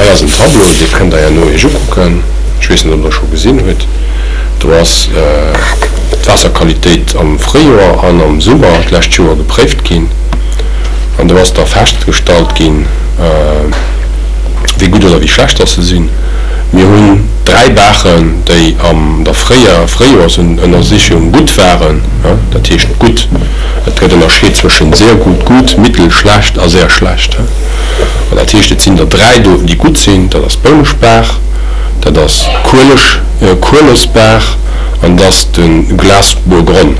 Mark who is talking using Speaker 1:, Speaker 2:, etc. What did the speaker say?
Speaker 1: Hei ass en Tableau, dee kënnt Der herno Iech ukucken. Ech weess net, ob Der scho gesinn hutt. Do ass d'Waasserqualitéit am Fréijoer an am Summer d'lescht Joer gepréift ginn. An do ass da festgestallt ginn, wéi gutt oder wéi schlecht dass se sinn. Mir hunn 3 Baachen, déi an der fréier Fréijoersënnersichung gutt waren, dat heescht gutt, et gëtt ënnerscheet zwëschen sehr gut, gut, mittel schlecht a sehr schlecht. An dat heescht, et sinn der 3 do, déi gutt sinn, dat ass d'Bouneschbaach, dat ass d'Kuelesch, Kuelesbaach an dat ass de Glasbuergronn.